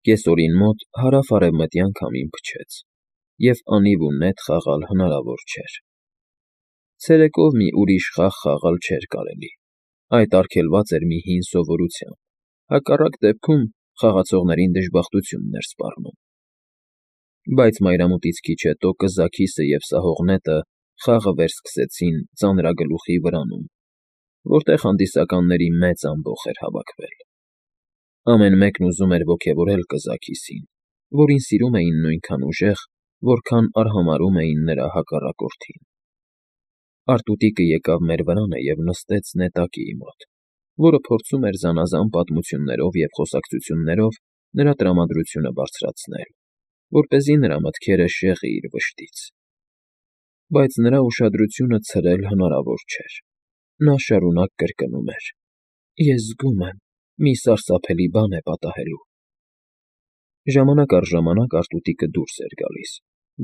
Կեսօրին մոտ հարավ-արևմտյան քամին փչեց, և անիվ ու նետ խաղալ հնարավոր չէր։ Ցերեկով մի ուրիշ խաղ խաղալ չէր կարելի, այդ արգելված էր մի հին սովորությամբ, հակառակ դեպքում խաղացողներին դժբախտությունն էր սպառնում։ Բայց մայրամուտից քիչ հետո կզաքիսը և սահող նետը խաղը վերսկսեցին ծանրագլուխի վրանում, որտեղ հանդիսականների մեծ ամբոխ էր հավաքվել։ Ամեն մեկն ուզում էր ոգևորել կզաքիսին, որին սիրում էին նույնքան ուժեղ, որքան արհամարհում էին նրա հակառակորդին։ Արտուտիկը եկավ մեր վրանը և նստեց նետակիի մոտ, որը փորձում էր զանազան պատմություններով և խոսակցություններով նրա տրամադրությունը բարձրացնել, որպեսզի նրա մտքերը շեղի իր վշտից։ Բայց նրա ուշադրությունը ցրել հնարավոր չէր։ Նա շարունակ կրկնում էր. «Ես զգում եմ, մի սարսափելի բան է պատահելու»։ Ժամանակ առ ժամանակ արտուտիկը դուրս էր գալիս,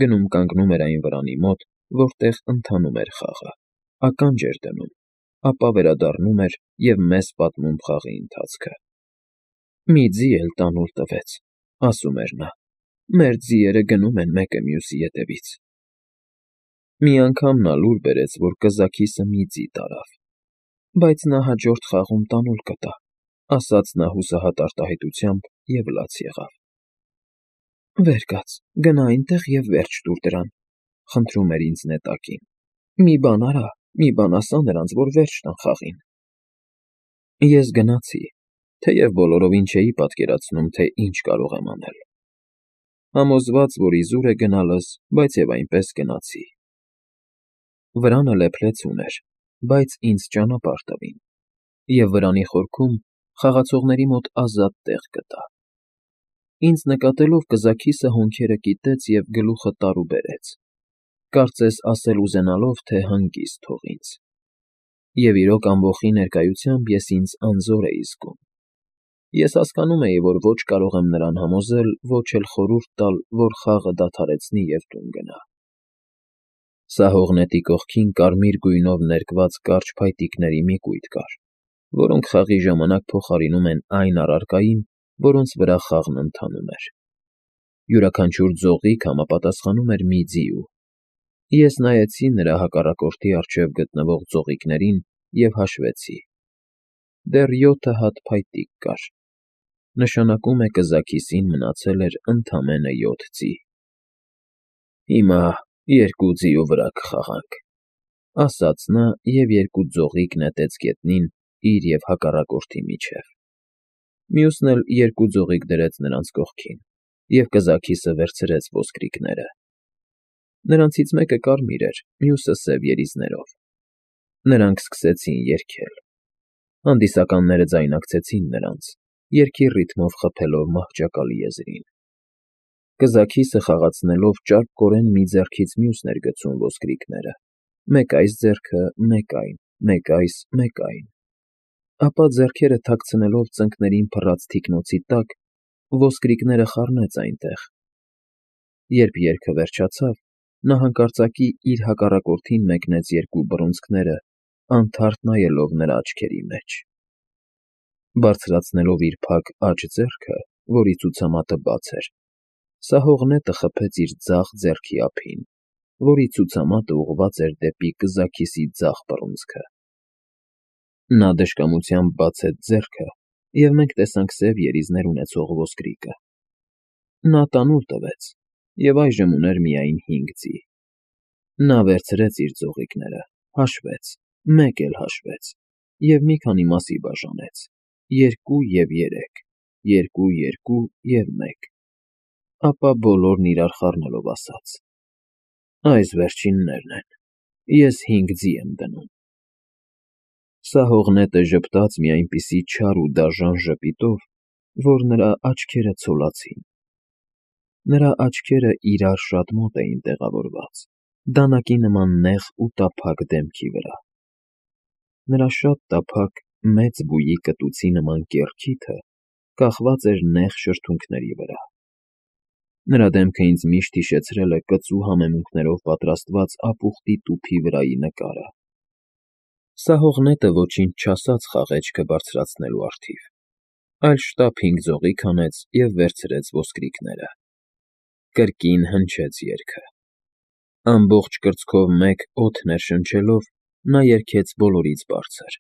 գնում կանգնում էր այն վրանի մոտ, որտեղ ընթանում էր խաղը, ականջ էր դնում, ապա վերադառնում էր և մեզ պատմում խաղի ընթացքը։ «Մի ձի էլ տանուլ տվեց», ֊ ասում էր նա, «մեր ձիերը գնում են մեկը մյուսի ետևից»։ Մի անգամ նա լուր բերեց, որ կզաքիսը մի ձի տարավ, բայց նա հաջորդ խաղում տանուլ կտա, ֊ ասաց նա հուսահատ արտահայտությամբ և լաց եղավ։ «Վեր կաց, գնա այնտեղ և վերջ տուր դրան», ֊ խնդրում էր ինձ նետակին։ «Մի բան արա, մի բան ասա նրանց, որ վերջ տան խաղին»։ Ես գնացի, թեև բոլորովին չէի պատկերացնում, թե ինչ կարող եմ անել։ Համոզված, որ իզուր է գնալս, բայց և այնպես գնացի։ Վրանը լեփ-լեցուն էր, բայց ինձ ճանապարհ տվին, և վրանի խորքում խաղացողների մոտ ազատ տեղ գտա։ Ինձ նկատելով կզաքիսը հոնքերը կիտեց և գլուխը տարուբերեց, կարծես ասել ուզենալով, թե հանգիստ թող ինձ։ Եվ իրոք ամբոխի ներկայությամբ ես ինձ անզոր էի զգում։ Ես հասկանում էի, որ ոչ կարող եմ նրան համոզել, ոչ էլ խորհուրդ տալ, որ խաղը դադարեցնի և տուն գնա։ Սահող նետի կողքին կարմիր գույնով ներկված կարճ փայտիկների մի կույտ կար, որոնք խաղի ժամանակ փոխարինում են այն առարկային, որոնց վրա խաղն ընթանում էր։ Յուրաքանչյուր ձողիկ համապատասխանում էր մի ձիու։ Ես նայեցի նրա հակառակորդի առջև գտնվող ձողիկներին և հաշվեցի. դեռ 7 հատ փայտիկ կար, նշանակում է կզաքիսին մնացել էր ընդամենը 7 ձի։ «Հիմա երկու ձիու վրա կխաղանք», ֊ ասաց նա և երկու ձողիկ նետեց գետնին իր և հակառակորդի միջև։ Մյուսն էլ երկու ձողիկ դրեց նրանց կողքին, և կզաքիսը վերցրեց ոսկրիքները։ Նրանցից մեկը կարմիր էր, մյուսը սև երիզներով։ Նրանք սկսեցին երգել։ Հանդիսականները ձայնակցեցին նրանց, երգի ռիթմով խփելով մահճակալի եզրին։ Կզաքիսը խաղացնելով ճարպկորեն մի ձեռքից մյուսն էր գցում ոսկրիքները, մեկ այս ձեռքը, մեկ այն, մեկ այս, մեկ այն։ Ապա ձեռքերը թաքցնելով ծնկներին փռած թիկնոցի տակ, ոսկրիքները խառնեց այնտեղ։ Երբ երգը վերջացավ, նա հանկարծակի իր հակառակորդին մեկնեց երկու բռունցքները, անթարթ նայելով նրա աչքերի մեջ։ Բարձրացնելով իր փակ աջ ձեռքը, որի ցուցամատը բաց էր, սահող նետը խփեց իր ձախ ձեռքի ափին, որի ցուցամատը ուղղված էր դեպի կզաքիսի ձախ բռունցքը։ Նա դժկամությամբ բացեց ձեռքը, և մենք տեսանք սև երիզներ ունեցող ոսկրիկը։ Նա տանուլ տվեց, և այժմ ուներ միայն 5 ձի։ Նա վերցրեց իր ձողիկները, հաշվեց, մեկ էլ հաշվեց և մի քանի մասի բաժանեց. 2 և 3, 2, 2 և 1, ապա բոլորն իրար խառնելով ասաց. «Այս վերջիններն են, ես 5 ձի եմ դնում»։ Սահող նետը ժպտաց մի այնպիսի չար ու դաժան ժպիտով, որ նրա աչքերը ցոլացին։ Նրա աչքերը իրար շատ մոտ էին տեղավորված, դանակի նման նեղ ու տափակ դեմքի վրա։ Նրա շատ տափակ, մեծ բույի կտուցի նման կեռքիթը կախված էր նեղ շրթունքների վրա։ Նրա դեմքը ինձ միշտ հիշեցրել է կծու համեմունքներով պատրաստված ապուխտի տուփի վրայի նկարը։ Սահող նետը ոչինչ չասաց խաղեջքը բարձրացնելու առթիվ։ այլ շտապ 5 ձողիկ հանեց և վերցրեց ոսկրիքները։ Կրկին հնչեց երգը։ Ամբողջ կրծքով մեկ օդ ներշնչելով, նա երգեց բոլորից բարձր։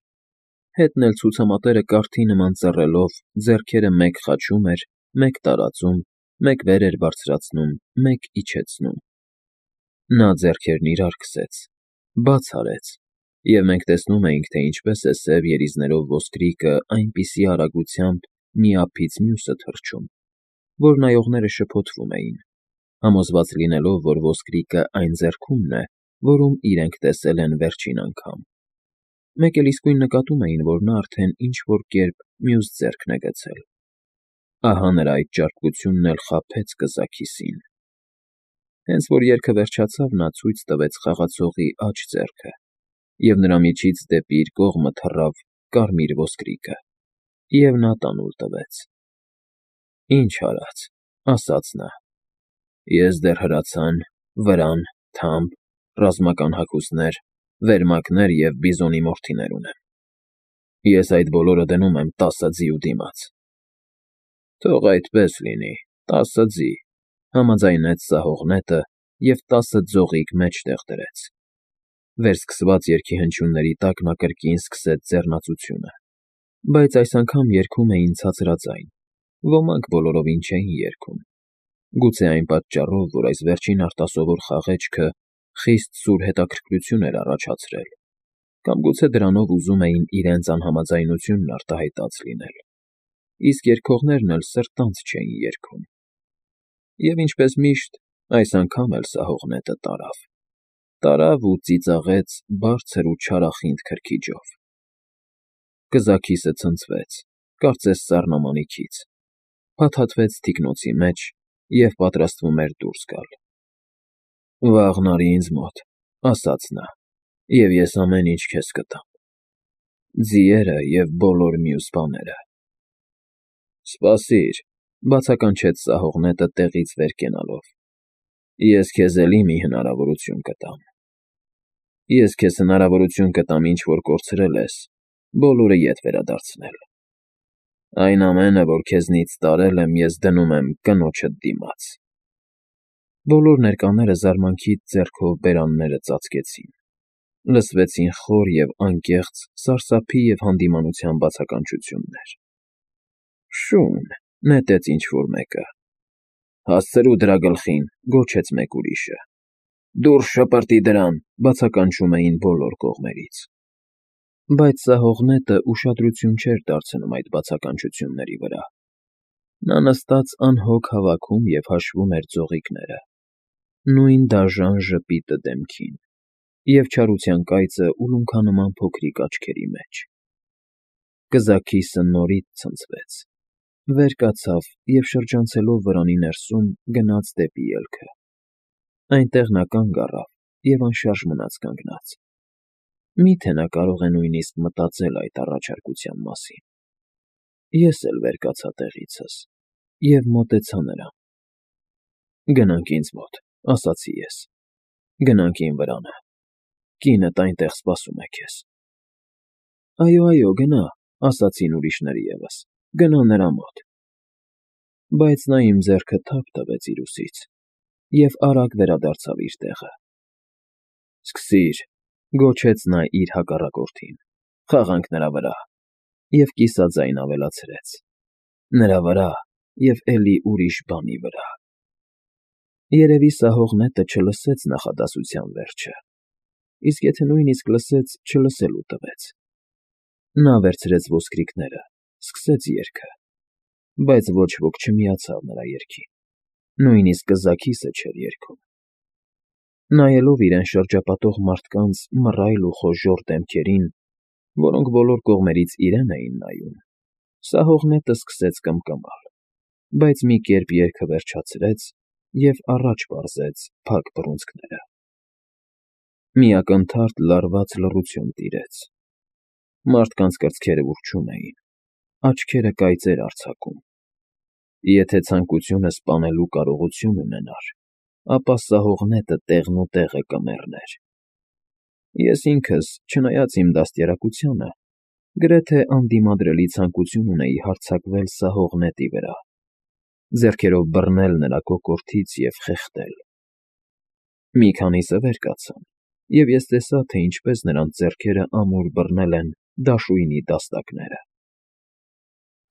Հետն էլ ցուցամատերը կարդի նման ծռելով, ձեռքերը մեկ խաչում էր, մեկ տարածում, մեկ վեր էր բարձրացնում, մեկ իջեցնում։ Նա ձեռքերն իրար քսեց, բաց արեց, և մենք տեսնում էինք, թե ինչպես է սև երիզներով ոսկրիկը այնպիսի արագությամբ մի ափից մյուսը թռչում, որ նայողները շփոթվում էին, համոզված լինելով, որ ոսկրիկը այն ձեռքումն է, որում իրենք տեսել են վերջին անգամ։ Մեկ էլ իսկույն նկատում էին, որ նա արդեն ինչ-որ կերպ մյուս ձեռքն է գցել։ Ահա նրա այդ ճարպկությունն էլ խաբեց կզաքիսին։ Հենց որ երգը վերջացավ, նա ցույց տվեց խաղացողի աջ ձեռքը, և նրա միջից դեպի իր կողմը թռավ կարմիր ոսկրիկը, և նա տանուլ տվեց։ «Ինչ արած», ասաց նա, «ես դեռ հրացան, վրան, թամբ, ռազմական հագուստներ, վերմակներ և բիզոնի մորթիներ ունեմ։ Ես այդ բոլորը դնում եմ 10 ձիու դիմաց»։ «Թող այդպես լինի, 10 ձի», համաձայնեց սահող նետը և 10 ձողիկ մեջտեղ դրեց։ Վերսկսված երգի հնչյունների տակ նա կրկին սկսեց ձեռնածությունը, բայց այս անգամ երգում էին ցածրաձայն, ոմանք բոլորովին չէին երգում։ Գուցե այն պատճառով, որ այս վերջին արտասովոր խաղեճքը խիստ սուր հետաքրքրություն էր առաջացրել, կամ գուցե դրանով ուզում էին իրենց անհամաձայնությունն արտահայտած լինել, իսկ երգողներն էլ սրտանց չէին երգում։ Եվ ինչպես միշտ, այս անգամ էլ սահող նետը տարավ։ Տարավ ու ծիծաղեց բարձր ու չարախինդ քրքիջով։ Կզաքիսը ցնցվեց, կարծես սառնամանիքից, փաթաթվեց թիկնոցի մեջ և պատրաստվում էր դուրս գալ։ «Վաղն արի ինձ մոտ», ասաց նա, «և ես ամեն ինչ քեզ կտամ, ձիերը և բոլոր մյուս բաները»։ «Սպասիր», բացականչեց սահող նետը տեղից վեր կենալով, «ես քեզ էլի մի հնարավորություն կտամ։ Ես քեզ հնարավորություն կտամ ինչ֊որ կորցրել ես, բոլորը ետ վերադարձնել։ Այն ամենը, որ քեզնից տարել եմ, ես դնում եմ կնոջդ դիմաց»։ Բոլոր ներկաները զարմանքից ձեռքով բերանները ծածկեցին։ Լսվեցին խոր և անկեղծ սարսափի և հանդիմանության բացականչություններ։ «Շուն», նետեց ինչ֊որ մեկը։ «Հասցրու դրա գլխին», գոչեց մեկ ուրիշը։ «Դուրս շպրտի դրան», բացականչում էին բոլոր կողմերից։ Բայց սահող նետը ուշադրություն չէր դարձնում այդ բացականչությունների վրա։ Նա նստած անհոգ հավաքում և հաշվում էր ձողիկները, նույն դաժան ժպիտը դեմքին և չարության կայծը ուլունքանման փոքրիկ աչքերի մեջ։ Կզաքիսը նորից ցնցվեց, վեր կացավ և շրջանցելով վրանի ներսում գնաց դեպի ելքը։ Այնտեղ նա կանգ առավ և անշարժ մնաց կանգնած։ Մի՞թե նա կարող է նույնիսկ մտածել այդ առաջարկության մասին։ Ես էլ վեր կացա տեղիցս և մոտեցա նրան։ «Գնանք ինձ մոտ», ասացի ես։ «Գնանք իմ վրանը։ Կինդ այնտեղ սպասում է քեզ»։ «Այո, այո, գնա», ասացին ուրիշները ևս, «գնա նրա մոտ»։ Բայց նա իմ ձեռքը թափ տվեց իր ուսից և արագ վերադարձավ իր տեղը։ «Սկսի՛ր», գոչեց նա իր հակառակորդին, «խաղանք նրա վրա» և կիսաձայն ավելացրեց. «Նրա վրա և էլի ուրիշ բանի վրա»։ Երևի սահող նետը չլսեց նախադասության վերջը, իսկ եթե նույնիսկ լսեց, չլսելու տվեց։ Նա վերցրեց ոսկրիքները, սկսեց երգը, բայց ոչ ոք չմիացավ նրա երգին, նույնիսկ կզաքիսը չէր երգում։ Նայելով իրեն շրջապատող մարդկանց մռայլ ու խոժոռ դեմքերին, որոնք բոլոր կողմերից իրեն էին նայում, սահող նետը սկսեց կմկմալ, բայց մի կերպ երգը վերջացրեց և առաջ պարզեց փակ բռունցքները։ Մի ակնթարթ լարված լռություն տիրեց։ Մարդկանց կրծքերը ուռչում էին, աչքերը կայծեր արձակում։ Եթե ցանկությունը սպանելու կարողություն ունենար, ապա սահող նետը տեղնուտեղը կմեռներ։ Ես ինքս, չնայած իմ դաստիարակությանը, Գրեթե անդիմադրելի ցանկություն ունեի հարձակվել սահող նետի վրա, ձեռքերով բռնել նրա կոկորդից և խեղդել։ Մի քանիսը վեր կացան, և ես տեսա, թե ինչպես նրանց ձեռքերը ամուր բռնել են դաշույնի դաստակները։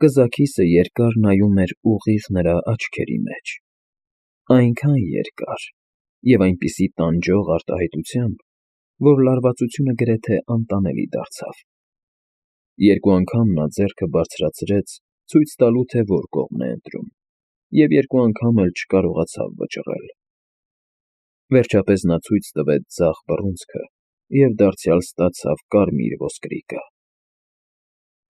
Կզաքիսը երկար նայում էր ուղիղ նրա աչքերի մեջ, այնքան երկար և այնպիսի տանջող արտահայտությամբ, որ լարվածությունը գրեթե անտանելի դարձավ։ Երկու անգամ նա ձեռքը բարձրացրեց, ցույց տալու, թե որ կողմն է ընտրում, և երկու անգամ էլ չկարողացավ վճռել։ Վերջապես նա ցույց տվեց ձախ բռունցքը և դարձյալ ստացավ կարմիր ոսկրիկը։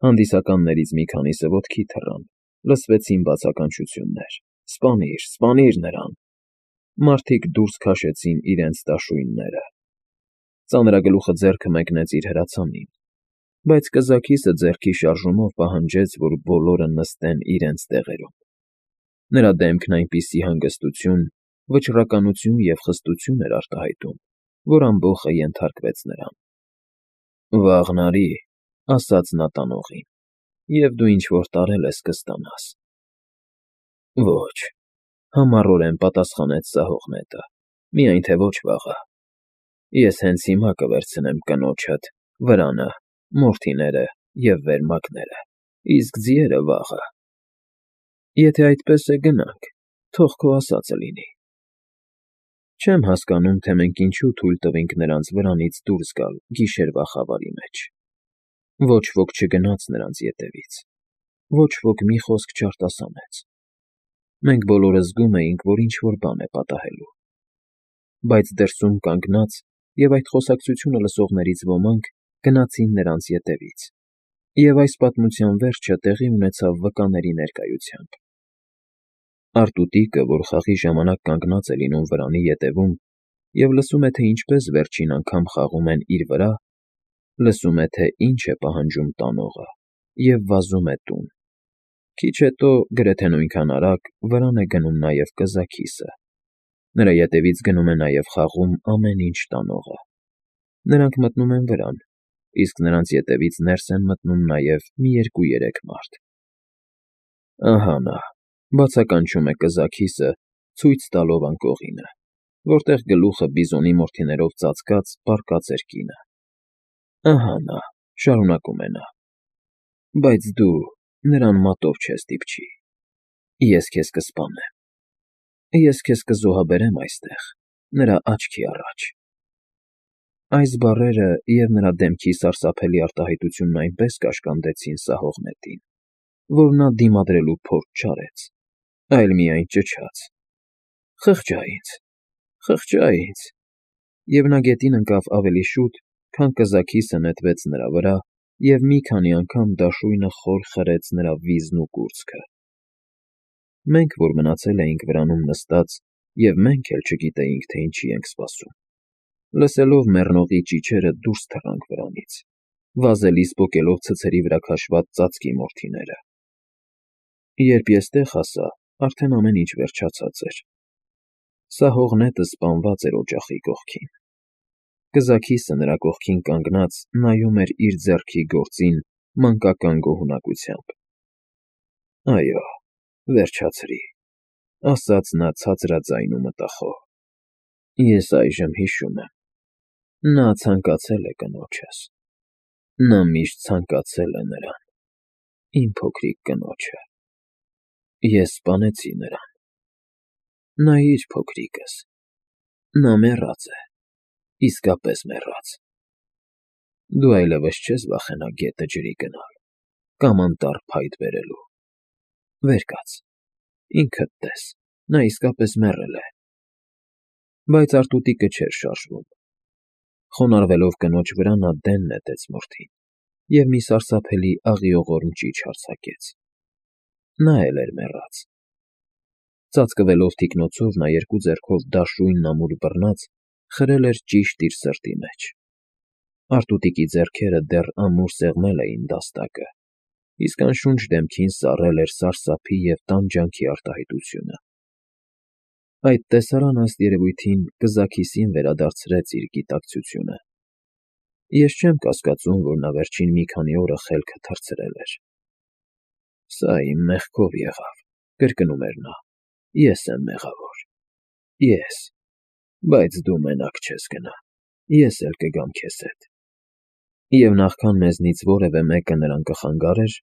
Հանդիսականներից մի քանիսը ոտքի թռան, լսվեցին բացականչություններ. «Սպանիր, սպանիր նրան»։ Մարդիկ դուրս քաշեցին իրենց դաշույնները։ Ծանրագլուխը ձեռքը մեկնեց իր հրացանին, բայց կզաքիսը ձեռքի շարժումով պահանջեց, որ բոլորը նստեն իրենց տեղերում։ Նրա դեմքն այնպիսի հանգստություն, վճռականություն և խստություն էր արտահայտում, որ ամբոխը ենթարկվեց նրան։ «Վաղն արի», ասաց նա տանողին, «և դու ինչ֊որ տարել ես կստանաս»։ «Ոչ», համառորեն պատասխանեց սահող նետը, «միայն թե ոչ վաղը։ Ես հենց հիմա կվերցնեմ կնոջդ, վրանը, մորթիները և վերմակները, իսկ ձիերը՝ վաղը»։ «Եթե այդպես է, գնանք, թող քո ասածը լինի»։ Չեմ հասկանում, թե մենք ինչու թույլ տվինք նրանց վրանից դուրս գալ գիշերվա խավարի մեջ։ Ոչ ոք չգնաց նրանց ետևից, ոչ ոք մի խոսք չարտասանեց։ Մենք բոլորը զգում էինք, որ ինչ֊որ բան է պատահելու։ Բայց դրսում կանգնած և այդ խոսակցությունը լսողներից ոմանք գնացին նրանց ետևից, և այս պատմության վերջը տեղի ունեցավ վկաների ներկայությամբ։ Արտուտիկը, որ խաղի ժամանակ կանգնած է լինում վրանի ետևում և լսում է, թե ինչպես վերջին անգամ խաղում են իր վրա, լսում է, թե ինչ է պահանջում տանողը, և վազում է տուն։ Քիչ հետո, գրեթե նույնքան արագ, վրան է գնում նաև կզաքիսը։ Նրա ետևից գնում է նաև խաղում ամեն ինչ տանողը։ Նրանք մտնում են վրան, իսկ նրանց ետևից ներս են մտնում նաև մի երկու֊երեք մարդ։ Ահա նա, բացականչում է կզաքիսը, ցույց տալով անկողինը, որտեղ գլուխը բիզոնի մորթիներով ծածկած պառկած էր կինը։ Ահա նա, շարունակում է նա, բայց դու նրան մատով չես դիպչի։ Ես քեզ կսպանեմ։ Ես քեզ կզոհաբերեմ այստեղ, նրա աչքի առաջ։ Այս բառերը և նրա դեմքի սարսափելի արտահայտությունն այնպես կաշկանդեցին սահող նետին, որ նա դիմադրելու փորձ չարեց, այլ միայն ճչաց. «Խղճա ինձ, խղճա ինձ»։ Եվ նա գետին ընկավ ավելի շուտ, քան կզաքիսը նետվեց նրա վրա և մի քանի անգամ դաշույնը խոր խրեց նրա վիզն ու կուրծքը։ Մենք, որ մնացել էինք վրանում նստած, և մենք էլ չգիտեինք, թե ինչի ենք սպասում, լսելով մեռնողի ճիչերը դուրս թռանք վրանից, վազելիս պոկելով ցցերի վրա քաշված ծածկի մորթիները։ Երբ ես տեղ հասա, արդեն ամեն ինչ վերջացած էր։ Սահող նետը սպանված էր օջախի կողքին։ Կզաքիսը նրա կողքին կանգնած նայում էր իր ձեռքի գործին մանկական գոհունակությամբ։ «Այո, վերջացրի», ասաց նա ցածրաձայն ու մտախոհ։ «Ես այժմ հիշում եմ։ Նա ցանկացել է կնոջս։ Նա միշտ ցանկացել է նրան, իմ փոքրիկ կնոջը։ Ես սպանեցի նրան։ Նայիր, փոքրիկս, նա մեռած է, իսկապես մեռած։ Դու այլևս չես վախենա գետը ջրի գնալ կամ անտառ փայտ բերելու։ Վեր կաց, ինքդ տես, նա իսկապես մեռել է»։ Բայց արտուտիկը չէր շարժվում։ Խոնարհվելով կնոջ վրա, նա դեն նետեց մորթին և մի սարսափելի աղիողորմ ճիչ արձակեց։ Նա էլ էր մեռած։ Ծածկվելով թիկնոցով, նա երկու ձեռքով դաշույնն ամուր բռնած խրել էր ճիշտ իր սրտի մեջ։ Արտուտիկի ձեռքերը դեռ ամուր սեղմել էին դաստակը, իսկ անշունչ դեմքին սառել էր սարսափի և տանջանքի արտահայտությունը։ Այդ տեսարանը, ըստ երևույթին, կզաքիսին վերադարձրեց իր գիտակցությունը։ Ես չեմ կասկածում, որ նա վերջին մի քանի օրը խելքը թռցրել էր։ Սա իմ մեղքով եղավ, կրկնում էր նա, ես եմ մեղավոր, ես, բայց դու մենակ չես գնա, ես էլ կգամ քեզ հետ։ Եվ նախքան մեզնից որևէ մեկը նրան կխանգարեր,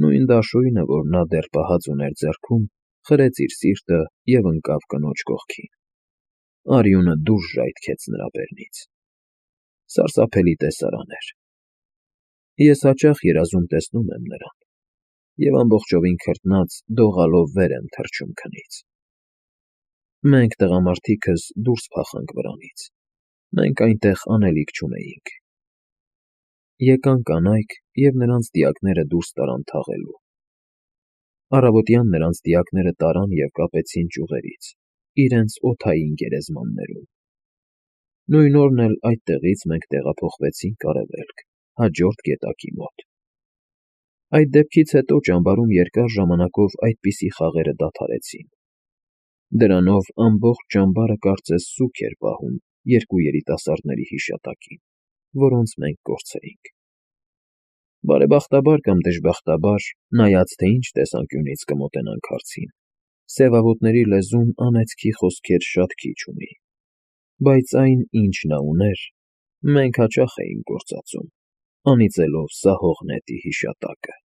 նույն դաշույնը, որ նա դեռ պահած ուներ ձեռքում, խրեց իր սիրտը և ընկավ կնոջ կողքին։ Արյունը դուրս ժայթքեց նրա բերնից։ Սարսափելի տեսարան էր։ Ես հաճախ երազում տեսնում եմ նրան, և ամբողջովին քրտնած դողալով վեր եմ թռչում քնից։ Մենք տղամարդիկս դուրս փախանք վրանից, մենք այնտեղ անելիք չունեինք։ Եկան կանայք, և նրանց դիակները դուրս տարան թաղելու։ Առավոտյան նրանց դիակները տարան և կապեցին ճյուղերից, իրենց օդային գերեզմաններում։ Նույն օրն էլ այդտեղից մենք տեղափոխվեցինք արևելք, հաջորդ գետակի մոտ։ Այդ դեպքից հետո ճամբարում երկար ժամանակով այդպիսի խաղերը դադարեցին։ Դրանով ամբողջ ճամբարը կարծես սուգ էր պահում երկու երիտասարդների հիշատակին, որոնց մենք կորցրինք։ Բարեբախտաբար կամ դժբախտաբար, նայած թե ինչ տեսանկյունից կմոտենանք հարցին, սևավոտների լեզուն անեծքի խոսքեր շատ քիչ ունի, բայց այն, ինչ նա ուներ, մենք հաճախ էինք գործածում, անիծելով սահող նետի հիշատակը։